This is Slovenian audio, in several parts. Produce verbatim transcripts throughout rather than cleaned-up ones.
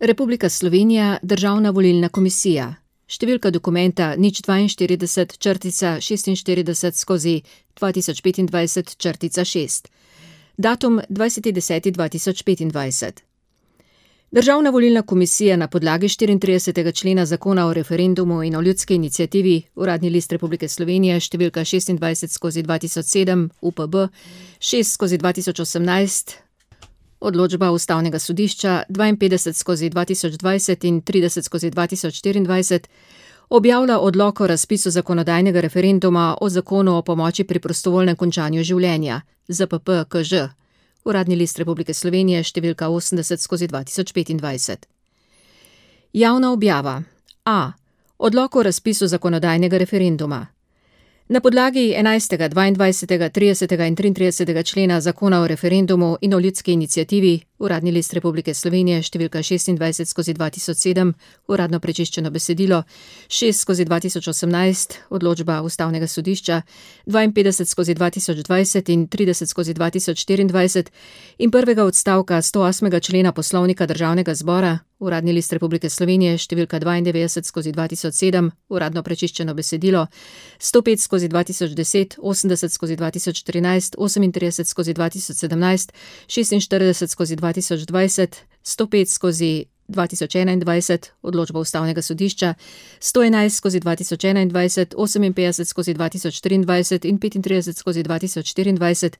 Republika Slovenija, Državna volilna komisija. Številka dokumenta nič dvainštirideset črtica šestinštirideset skozi dva tisoč petindvajset črtica šest. Datum dvajseti deseti dva tisoč petindvajset. Državna volilna komisija na podlagi štiriintridesetega člena Zakona o referendumu in o ljudski iniciativi, Uradni list Republike Slovenije, številka šestindvajset skozi dva tisoč sedem, U P B, šest skozi dva tisoč osemnajst, odločba Ustavnega sodišča dvainpetdeset skozi dva tisoč dvajset in trideset skozi dva tisoč štiriindvajset, objavlja odlok o razpisu zakonodajnega referenduma o Zakonu o pomoči pri prostovoljnem končanju življenja, Z P P K Ž. Uradni list Republike Slovenije, številka osemdeset skozi dva tisoč petindvajset. Javna objava. A. Odlok o razpisu zakonodajnega referenduma. Na podlagi enajstega, dvaindvajsetega, tridesetega in triintridesetega člena Zakona o referendumu in o ljudski iniciativi, Uradni list Republike Slovenije, številka šestindvajset skozi dva tisoč sedem, uradno prečiščeno besedilo, šest skozi dva tisoč osemnajst, odločba Ustavnega sodišča, dvainpetdeset skozi dva tisoč dvajset in trideset skozi dva tisoč štiriindvajset in prvega odstavka stoosmega člena Poslovnika Državnega zbora, Uradni list Republike Slovenije, številka dvaindevetdeset skozi dva tisoč sedem, uradno prečiščeno besedilo, sto pet skozi dva tisoč deset, osemdeset skozi dva tisoč štirinajst, osemintrideset skozi dva tisoč sedemnajst, šestinštirideset skozi dva tisoč dvajset, sto pet skozi dva tisoč enaindvajset, odločba Ustavnega sodišča, sto enajst skozi dva tisoč enaindvajset, oseminpetdeset skozi dva tisoč triindvajset in petintrideset skozi dva tisoč štiriindvajset,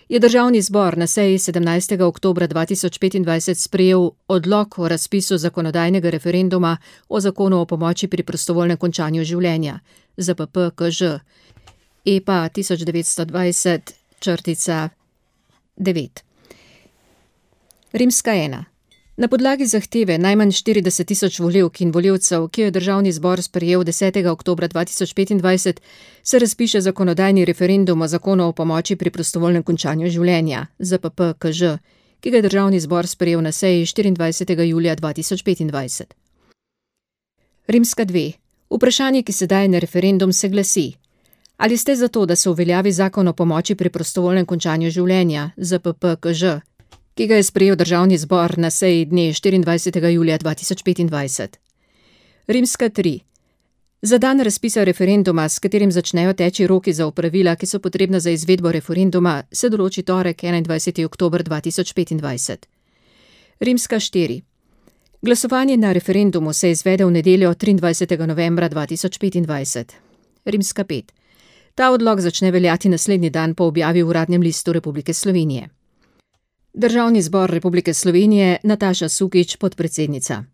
je Državni zbor na seji sedemnajstega oktobra dva tisoč petindvajset sprejel odlok o razpisu zakonodajnega referenduma o Zakonu o pomoči pri prostovoljnem končanju življenja, Z P P K Ž, E P A tisoč devetsto dvajset črtica devet. Rimska ena. Na podlagi zahteve najmanj štirideset tisoč volivk in volivcev, ki jo je Državni zbor sprejel desetega oktobra dva tisoč petindvajset, se razpiše zakonodajni referendum o Zakonu o pomoči pri prostovoljnem končanju življenja, Z P P K Ž, ki ga je Državni zbor sprejel na seji štiriindvajsetega julija dva tisoč petindvajset. Rimska dve. Vprašanje, ki se daje na referendum, se glasi: ali ste za to, da se uveljavi Zakon o pomoči pri prostovoljnem končanju življenja, Z P P K Ž, ki ga je sprejel Državni zbor na seji dne štiriindvajsetega julija dva tisoč petindvajset. Rimska tri. Za dan razpisa referenduma, s katerim začnejo teči roki za opravila, ki so potrebna za izvedbo referenduma, se določi torek, enaindvajseti oktober dva tisoč petindvajset. Rimska štiri. Glasovanje na referendumu se izvede v nedeljo triindvajsetega novembra dva tisoč petindvajset. Rimska pet. Ta odlok začne veljati naslednji dan po objavi v Uradnem listu Republike Slovenije. Državni zbor Republike Slovenije, Nataša Sukič, podpredsednica.